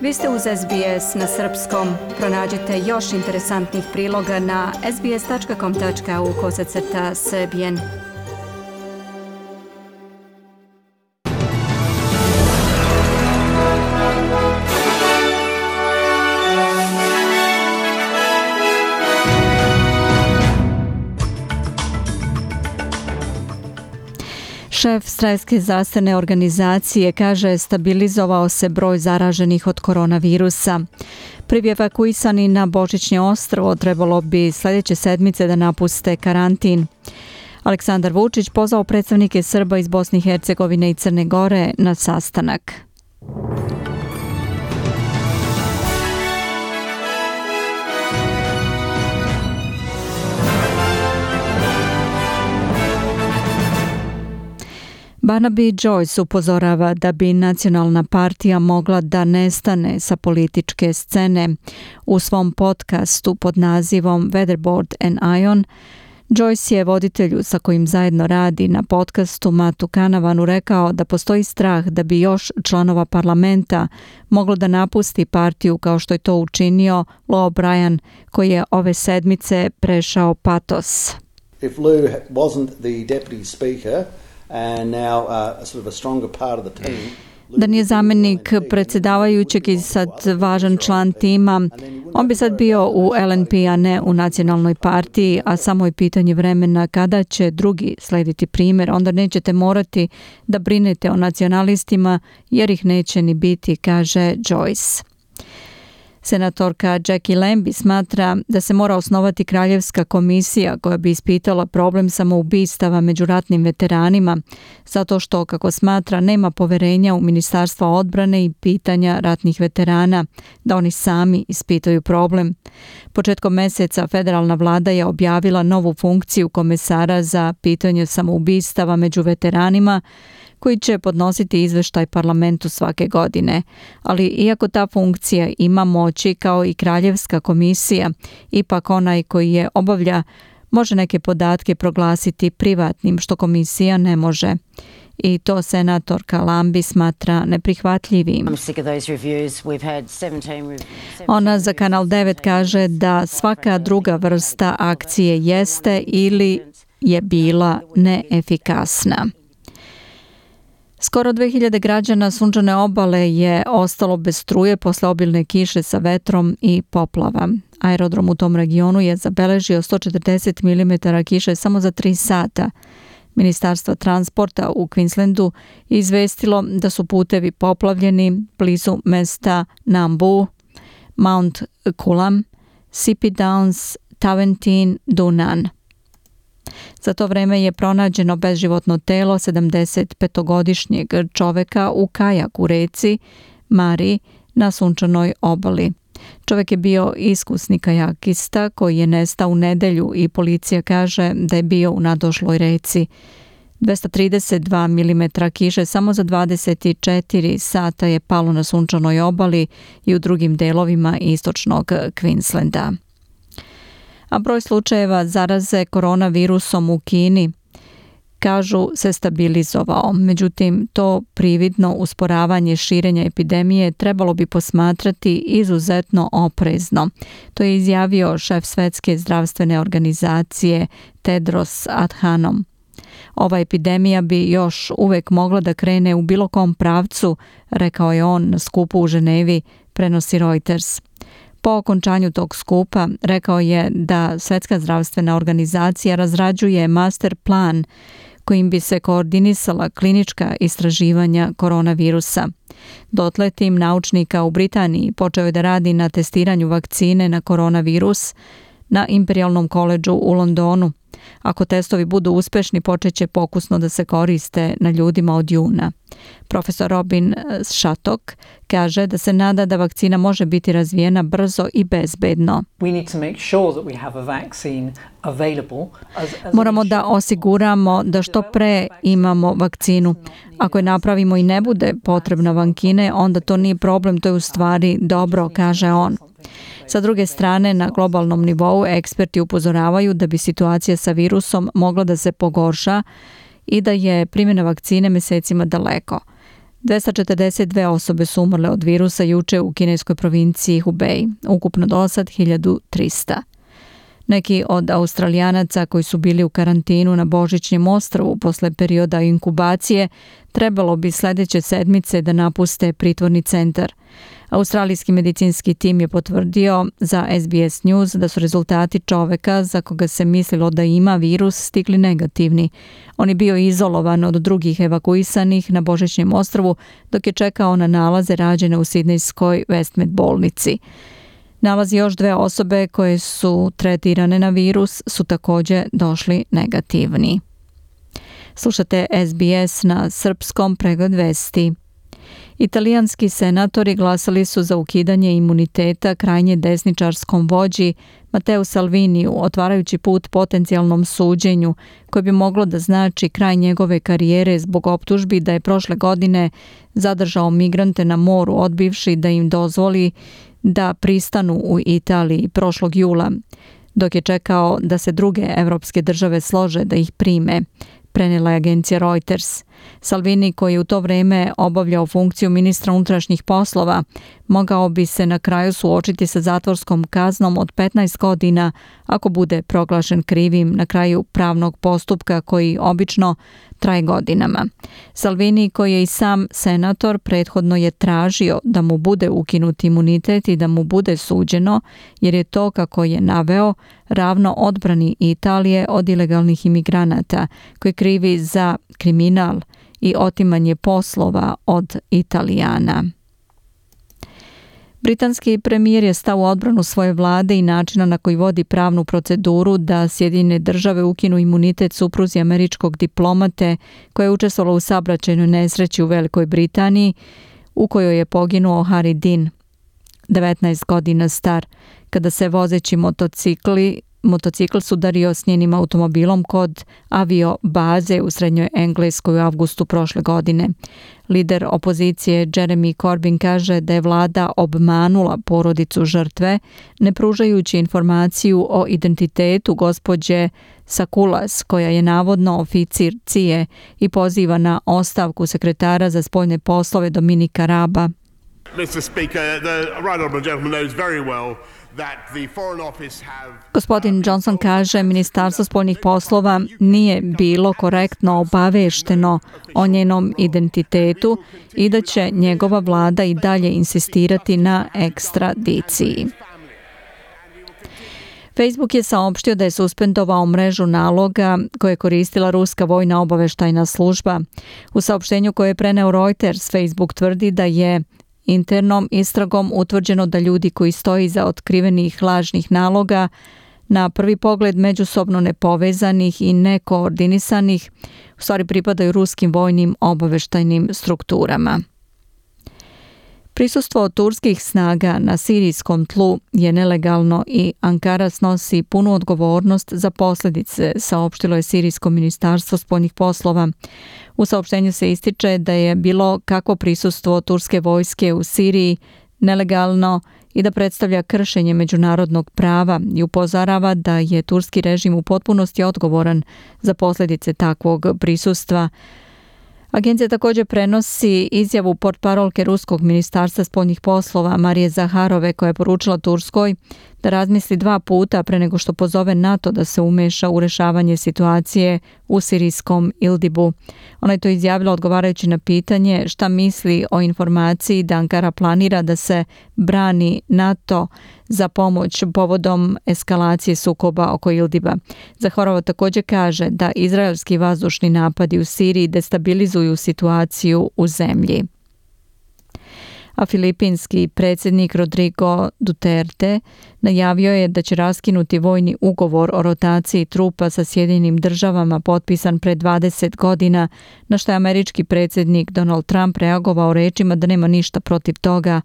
Vi ste uz SBS na srpskom. Pronađite još interesantnih priloga na sbs.com.au/srbijen. Šef Svjetske zdravstvene organizacije kaže stabilizovao se broj zaraženih od koronavirusa. Prvi evakuisani na Božićnje ostrvo trebalo bi sljedeće sedmice da napuste karantin. Aleksandar Vučić pozvao predstavnike Srba iz Bosne i Hercegovine i Crne Gore na sastanak. Barnaby Joyce upozorava da bi nacionalna partija mogla da nestane sa političke scene. U svom podcastu pod nazivom Weatherboard and Ion, Joyce je voditelju sa kojim zajedno radi na podcastu Matu Kanavanu rekao da postoji strah da bi još članova parlamenta moglo da napusti partiju kao što je to učinio Lou O'Brien, koji je ove sedmice prešao patos. If Lou wasn't the deputy speaker, and now sort of a stronger part of the team. Da nije zamjenik predsjedavajućeg i sad važan član tima, on bi sad bio u LNP, a ne u nacionalnoj partiji, a samo je pitanje vremena kada će drugi slediti primjer. Onda nećete morati da brinete o nacionalistima jer ih neće ni biti, kaže Joyce. Senatorka Jackie Lambie smatra da se mora osnovati kraljevska komisija koja bi ispitala problem samoubistava među ratnim veteranima, zato što, kako smatra, nema poverenja u Ministarstvo odbrane i pitanja ratnih veterana, da oni sami ispitaju problem. Početkom meseca federalna vlada je objavila novu funkciju komesara za pitanje samoubistava među veteranima, koji će podnositi izveštaj parlamentu svake godine. Ali iako ta funkcija ima moći kao i kraljevska komisija, ipak onaj koji je obavlja može neke podatke proglasiti privatnim, što komisija ne može. I to senatorka Lambie smatra neprihvatljivim. Ona za Kanal 9 kaže da svaka druga vrsta akcije jeste ili je bila neefikasna. Skoro 2000 građana Sunčane obale je ostalo bez struje posle obilne kiše sa vetrom i poplava. Aerodrom u tom regionu je zabeležio 140 mm kiše samo za 3 sata. Ministarstvo transporta u Queenslandu je izvestilo da su putevi poplavljeni blizu mesta Nambu, Mount Coolum, Sipi Downs, Taventin, Dunan. Za to vreme je pronađeno bezživotno telo 75-godišnjeg čoveka u kajaku u reci Mari na Sunčanoj obali. Čovek je bio iskusni kajakista koji je nestao u nedelju i policija kaže da je bio u nadošloj reci. 232 mm kiše samo za 24 sata je palo na Sunčanoj obali i u drugim delovima istočnog Queenslanda. A broj slučajeva zaraze koronavirusom u Kini, kažu, se stabilizovao. Međutim, to prividno usporavanje širenja epidemije trebalo bi posmatrati izuzetno oprezno. To je izjavio šef Svjetske zdravstvene organizacije Tedros Adhanom. Ova epidemija bi još uvek mogla da krene u bilo kom pravcu, rekao je on na skupu u Ženevi, prenosi Reuters. Po okončanju tog skupa rekao je da Svjetska zdravstvena organizacija razrađuje master plan kojim bi se koordinisala klinička istraživanja koronavirusa. Dotle tim naučnika u Britaniji počeo je da radi na testiranju vakcine na koronavirus na Imperialnom koledžu u Londonu. Ako testovi budu uspešni, počeće pokusno da se koriste na ljudima od juna. Profesor Robin Shattock kaže da se nada da vakcina može biti razvijena brzo i bezbedno. Moramo da osiguramo da što pre imamo vakcinu. Ako je napravimo i ne bude potrebna vakcine, onda to nije problem, to je u stvari dobro, kaže on. Sa druge strane, na globalnom nivou eksperti upozoravaju da bi situacija sa virusom mogla da se pogorša i da je primjena vakcine mesecima daleko. 242 osobe su umrle od virusa juče u kineskoj provinciji Hubei, ukupno do sad 1300. Neki od Australijanaca koji su bili u karantinu na Božićnjem ostrvu posle perioda inkubacije trebalo bi sljedeće sedmice da napuste pritvorni centar. Australijski medicinski tim je potvrdio za SBS News da su rezultati čoveka za koga se mislilo da ima virus stigli negativni. On je bio izolovan od drugih evakuisanih na Božićnjem ostrvu dok je čekao na nalaze rađene u sidnejskoj Westmead bolnici. Nalazi još 2 osobe koje su tretirane na virus su također došli negativni. Slušate SBS na srpskom, pregled vesti. Italijanski senatori glasali su za ukidanje imuniteta krajnje desničarskom vođi Matteo Salviniju, otvarajući put potencijalnom suđenju koje bi moglo da znači kraj njegove karijere zbog optužbi da je prošle godine zadržao migrante na moru odbivši da im dozvoli da pristanu u Italiji prošlog jula, dok je čekao da se druge evropske države slože da ih prime, prenijela je agencija Reuters. Salvini, koji je u to vrijeme obavljao funkciju ministra unutrašnjih poslova, mogao bi se na kraju suočiti sa zatvorskom kaznom od 15 godina ako bude proglašen krivim na kraju pravnog postupka koji obično traje godinama. Salvini, koji je i sam senator, prethodno je tražio da mu bude ukinut imunitet i da mu bude suđeno, jer je to, kako je naveo, ravno odbrani Italije od ilegalnih imigranata koji krivi za kriminal i otimanje poslova od Italijana. Britanski premijer je stao u odbranu svoje vlade i načina na koji vodi pravnu proceduru da Sjedinjene države ukinu imunitet supruzi američkog diplomate koja je učestvovala u saobraćajnoj nesreći u Velikoj Britaniji u kojoj je poginuo Harry Dean, 19 godina star, kada se vozeći motocikl sudario s njenim automobilom kod avio baze u Srednjoj Engleskoj u avgustu prošle godine. Lider opozicije Jeremy Corbyn kaže da je vlada obmanula porodicu žrtve, ne pružajući informaciju o identitetu gospođe Sakulas, koja je navodno oficir CIA i poziva na ostavku sekretara za spoljne poslove Dominika Raba. Mr. Speaker, the right honourable gentleman knows very well. Gospodin Johnson kaže Ministarstvo spoljnih poslova nije bilo korektno obavešteno o njenom identitetu i da će njegova vlada i dalje insistirati na ekstradiciji. Facebook je saopštio da je suspendovao mrežu naloga koje je koristila ruska vojna obaveštajna služba. U saopštenju koje je preneo Reuters, Facebook tvrdi da je internom istragom utvrđeno da ljudi koji stoji iza otkrivenih lažnih naloga, na prvi pogled međusobno nepovezanih i nekoordinisanih, u stvari pripadaju ruskim vojnim obaveštajnim strukturama. Prisustvo turskih snaga na sirijskom tlu je nelegalno i Ankara snosi punu odgovornost za posljedice, saopštilo je Sirijsko ministarstvo spoljnih poslova. U saopštenju se ističe da je bilo kakvo prisustvo turske vojske u Siriji nelegalno i da predstavlja kršenje međunarodnog prava i upozorava da je turski režim u potpunosti odgovoran za posljedice takvog prisustva. Agencija također prenosi izjavu portparolke Ruskog ministarstva spoljnih poslova Marije Zaharove, koja je poručila Turskoj da razmisli 2 puta pre nego što pozove NATO da se umeša u rješavanje situacije u sirijskom Idlibu. Ona je to izjavila odgovarajući na pitanje šta misli o informaciji da Ankara planira da se brani NATO za pomoć povodom eskalacije sukoba oko Idliba. Zaharova također kaže da izraelski vazdušni napadi u Siriji destabilizuju situaciju u zemlji. A filipinski predsjednik Rodrigo Duterte najavio je da će raskinuti vojni ugovor o rotaciji trupa sa Sjedinjenim državama potpisan pred 20 godina, na što je američki predsjednik Donald Trump reagovao rečima da nema ništa protiv toga.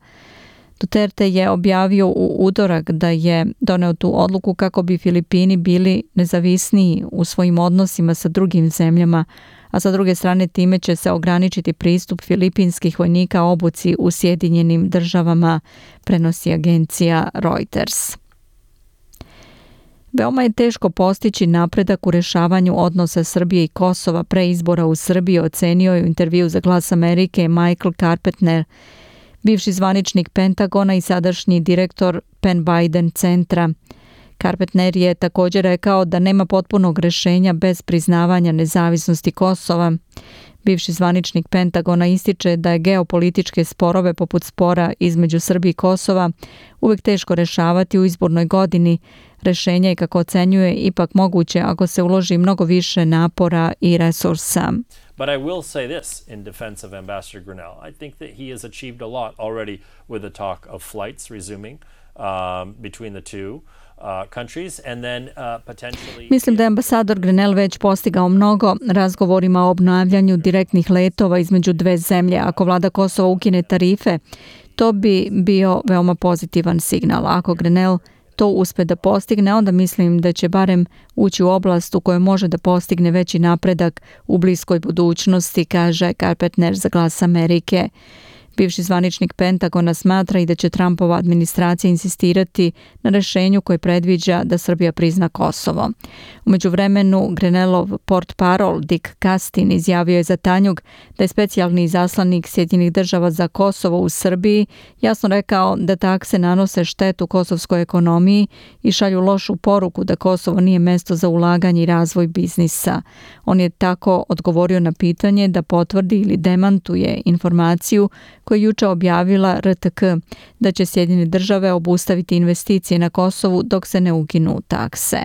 Duterte je objavio u utorak da je doneo tu odluku kako bi Filipini bili nezavisniji u svojim odnosima sa drugim zemljama, a sa druge strane time će se ograničiti pristup filipinskih vojnika obuci u Sjedinjenim državama, prenosi agencija Reuters. Veoma je teško postići napredak u rešavanju odnosa Srbije i Kosova pre izbora u Srbiji, ocenio je u intervju za Glas Amerike Michael Carpenter, bivši zvaničnik Pentagona i sadašnji direktor Penn Biden centra. Carpenter je također rekao da nema potpunog rešenja bez priznavanja nezavisnosti Kosova. Bivši zvaničnik Pentagona ističe da je geopolitičke sporove poput spora između Srbije i Kosova uvek teško rešavati u izbornoj godini. Rešenje je, kako ocenjuje, ipak moguće ako se uloži mnogo više napora i resursa. But I will say this in defense of Ambassador Grinnell. I think that he has achieved a lot already with the talk of flights resuming between the two countries and then potentially... Mislim da je ambasador Grinnell već postigao mnogo razgovorima o obnavljanju direktnih letova između dve zemlje. Ako vlada Kosova ukine tarife, to bi bio veoma pozitivan signal. Ako Grinnell to uspe da postigne, onda mislim da će barem ući u oblast u kojoj može da postigne veći napredak u bliskoj budućnosti, kaže Carpenter za Glas Amerike. Bivši zvaničnik Pentagona smatra i da će Trumpova administracija insistirati na rešenju koje predviđa da Srbija prizna Kosovo. U međuvremenu, Grinnellov portparol Dick Castin izjavio je za Tanjug da je specijalni izaslanik Sjedinjenih država za Kosovo u Srbiji jasno rekao da takse nanose štetu kosovskoj ekonomiji i šalju lošu poruku da Kosovo nije mesto za ulaganje i razvoj biznisa. On je tako odgovorio na pitanje da potvrdi ili demantuje informaciju koju je juče objavila RTK da će Sjedinjene države obustaviti investicije na Kosovu dok se ne ukinu takse.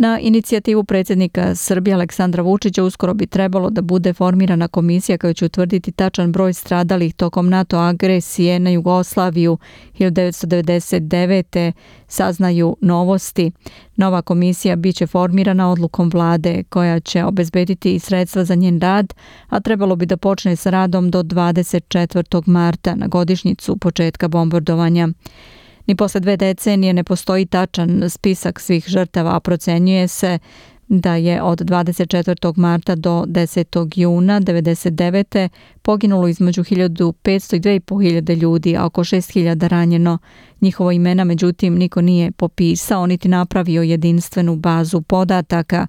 Na inicijativu predsjednika Srbije Aleksandra Vučića uskoro bi trebalo da bude formirana komisija koja će utvrditi tačan broj stradalih tokom NATO agresije na Jugoslaviju 1999. saznaju Novosti. Nova komisija biće formirana odlukom vlade koja će obezbediti i sredstva za njen rad, a trebalo bi da počne sa radom do 24. marta na godišnjicu početka bombardovanja. Ni posle 2 decenije ne postoji tačan spisak svih žrtava, a procenjuje se da je od 24. marta do 10. juna 1999. poginulo između 1500 i 2500 ljudi, a oko 6000 ranjeno. Njihovo imena, međutim, niko nije popisao niti napravio jedinstvenu bazu podataka.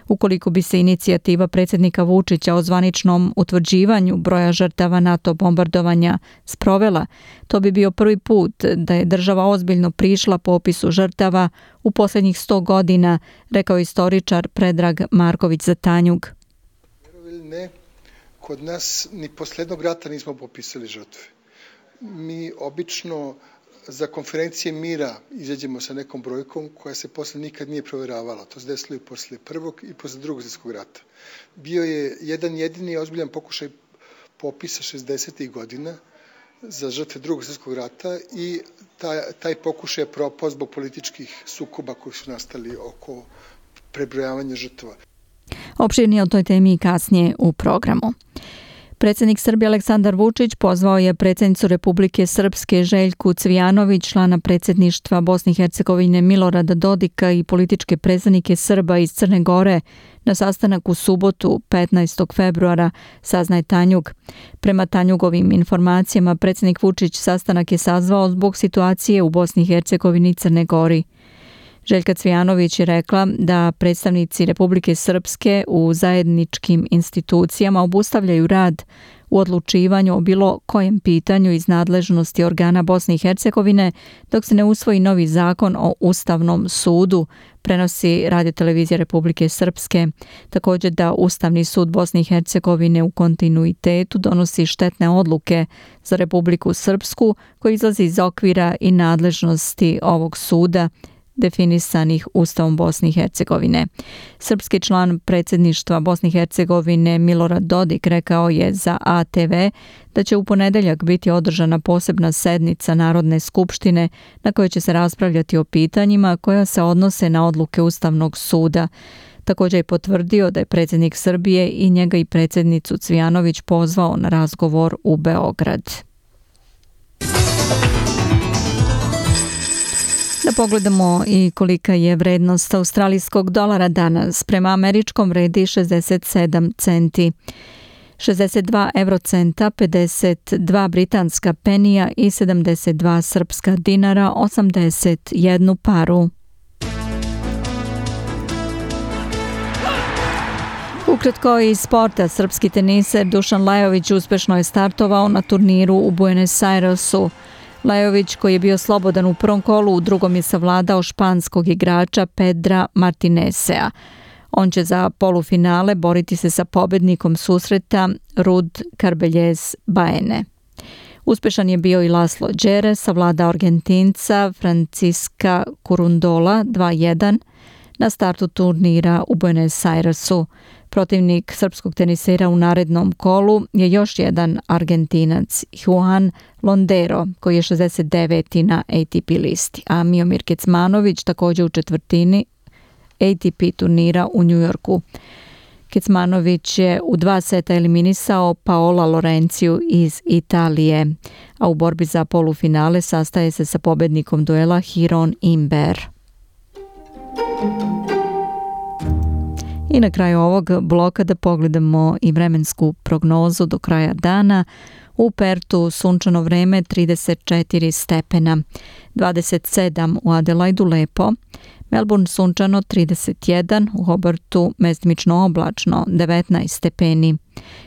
Ukoliko bi se inicijativa predsjednika Vučića o zvaničnom utvrđivanju broja žrtava NATO bombardovanja sprovela, to bi bio prvi put da je država ozbiljno prišla popisu žrtava u posljednjih 100 godina, rekao istoričar Predrag Marković za Tanjug. Ne, kod nas ni posle jednog rata nismo popisali žrtve. Mi obično za konferencije mira izađemo sa nekom brojkom koja se posle nikad nije provjeravala. To se desilo i posle prvog i posle drugog svjetskog rata. Bio je jedan jedini ozbiljan pokušaj popisa 60. godina za žrtve drugog svjetskog rata i taj pokušaj je propao zbog političkih sukoba koji su nastali oko prebrojavanja žrtva. Opširnije o toj temi kasnije u programu. Predsjednik Srbije Aleksandar Vučić pozvao je predsjednicu Republike Srpske Željku Cvijanović, člana predsjedništva Bosne i Hercegovine Milorada Dodika i političke predstavnike Srba iz Crne Gore na sastanak u subotu 15. februara, saznaje Tanjug. Prema Tanjugovim informacijama, predsjednik Vučić sastanak je sazvao zbog situacije u Bosni i Hercegovini i Crne Gori. Željka Cvijanović je rekla da predstavnici Republike Srpske u zajedničkim institucijama obustavljaju rad u odlučivanju o bilo kojem pitanju iz nadležnosti organa Bosne i Hercegovine dok se ne usvoji novi zakon o Ustavnom sudu, prenosi Radiotelevizija Republike Srpske. Također da Ustavni sud Bosne i Hercegovine u kontinuitetu donosi štetne odluke za Republiku Srpsku koji izlazi iz okvira i nadležnosti ovog suda definisanih Ustavom Bosne i Hercegovine. Srpski član predsjedništva Bosne i Hercegovine Milorad Dodik rekao je za ATV da će u ponedeljak biti održana posebna sednica Narodne skupštine na kojoj će se raspravljati o pitanjima koja se odnose na odluke Ustavnog suda. Također je potvrdio da je predsjednik Srbije i njega i predsjednicu Cvijanović pozvao na razgovor u Beograd. Da pogledamo i kolika je vrednost australijskog dolara danas. Prema američkom vredi 67 centi, 62 eurocenta, 52 britanska penija i 72 srpska dinara, 81 paru. Ukratko iz sporta, srpski teniser Dušan Lajović uspešno je startovao na turniru u Buenos Airesu. Lajović, koji je bio slobodan u prvom kolu, u drugom je savladao španskog igrača Pedra Martinezea. On će za polufinale boriti se sa pobednikom susreta Rud Carballes Baene. Uspešan je bio i Laslo Džere, savladao Argentinca Francisca Curundola 2-1 na startu turnira u Buenos Airesu. Protivnik srpskog tenisera u narednom kolu je još jedan Argentinac, Juan Londero, koji je 69. na ATP listi, a Miomir Kecmanović također u četvrtini ATP turnira u Njujorku. Kecmanović je u 2 seta eliminisao Paola Lorenciju iz Italije, a u borbi za polufinale sastaje se sa pobednikom duela Hiron Imber. I na kraju ovog bloka da pogledamo i vremensku prognozu do kraja dana. U Pertu sunčano vreme 34 stepena, 27 u Adelaidu lepo, Melbourne sunčano 31, u Hobartu mestimično oblačno 19 stepeni,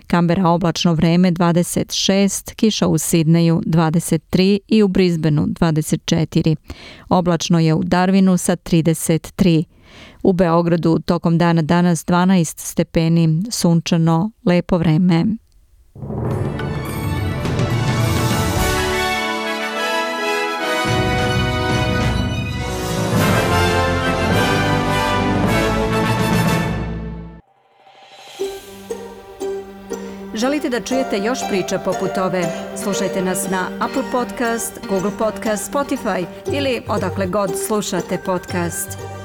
Kambera oblačno vreme 26, kiša u Sidneju 23 i u Brisbaneu 24. Oblačno je u Darwinu sa 33. U Beogradu tokom dana danas 12 stepeni, sunčano, lepo vreme. Želite da čujete još priča poput ove? Slušajte nas na Apple Podcast, Google Podcast, Spotify ili odakle god slušate podcast.